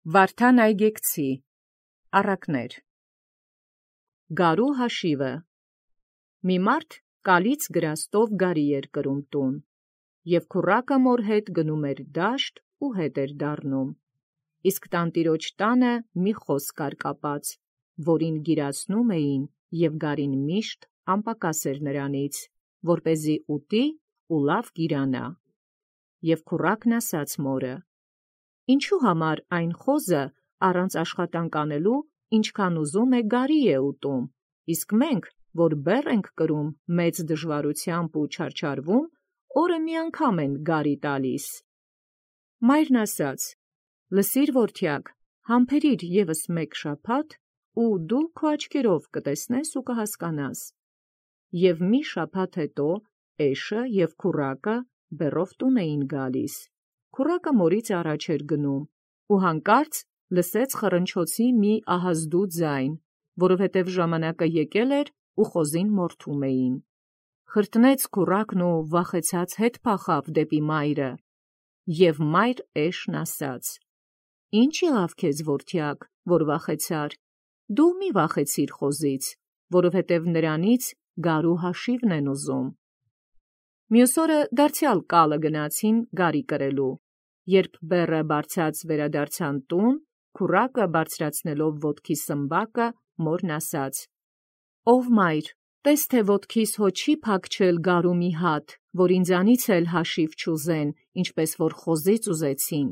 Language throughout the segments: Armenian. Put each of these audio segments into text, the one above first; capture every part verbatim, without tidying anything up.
Վարդան Այգեկցի առակներ Գարու հաշիվը Մի մարդ կալից գրաստով գարի էր կրում տուն, և քուռակը մոր հետ գնում էր դաշտ ու հետ էր դառնում, իսկ տանտիրոջ տանը մի խոսք կար կապած, որին գիրացնում էին, և գարին միշտ անպակաս էր նրանից, որպեսզի ուտի ու լավ գիրանա։ Եվ քուռակն ասաց մորը. «Ինչու համար այն խոզը առանց աշխատանք անելու ինչքան ուզում է գարի է ուտում, իսկ մենք, որ բեռ ենք կրում մեծ դժվարությամբ ու չարչարվում, օրը մի անգամ են գարի տալիս»։ Մայրն ասաց. «Լսիր, որդյակ, համբերիր ևս մեկ շաբաթ, ու դու քո աչքերով կտեսնես ու կհասկանաս»։ Եվ մի շաբաթ հետո էշը և քուռակը բեռով տուն էին գալիս։ Քուռակը մորից առաջ էր գնում, ու հանկարծ լսեց խռնչոցի մի ահազդու ձայն, որովհետև ժամանակը եկել էր ու խոզին մորթում էին։ Խրտնեց քուռակն ու վախեցած հետ փախավ դեպի մայրը, և մայր էշն ասաց. «Ի՞նչ եղավ քեզ, որդյակ, որ վախեցար. դու մի վախեցիր խոզից, որովհետև նրանից գարու հաշիվն են ուզում»։ Մյուս օրը դարձյալ կալը գնացին գարի կրելու։ Երբ բեռը բարձած վերադարձան տուն, քուռակը բարձրացնելով ոտքի սմբակը, մորն ասաց. «Ով մայր, տես թե ոտքիս հո չի փակչել գարու մի հատ, որ ինձանից էլ հաշիվ չուզեն, ինչպես որ խոզից ուզեցին»։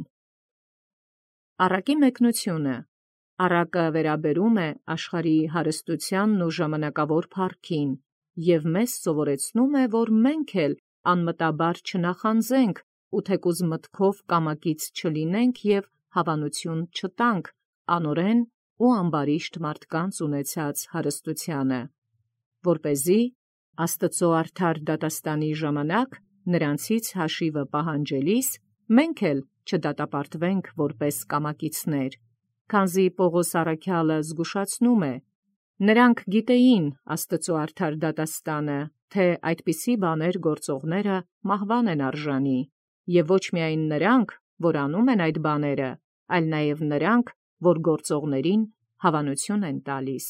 Առակի մեկնությունը Առակը վերաբերում է աշխարհի հարստությանն ու ժամանակավոր փառքին, և մեզ սովորեցնում է, որ մենք էլ անմտաբար չնախանձենք ու թեկուզ մտքով կամակից չլինենք և հավանություն չտանք անօրեն ու ամբարիշտ մարդկանց ունեցած հարստությանը, որպեսզի Աստծո արդար դատաստանի ժամանակ նրանցից հաշիվը պահանջելիս մենք էլ չդատապարտվենք որպես կամակիցներ, քանզի Պողոս առաքյալը զգուշացնում է. «Նրանք գիտեին Աստծո արդար դատաստանը, թե այդպիսի բաներ գործողները մահվան են արժանի, և ոչ միայն նրանք, որ անում են այդ բաները, այլ նաև նրանք, որ գործողներին հավանություն են տալիս»։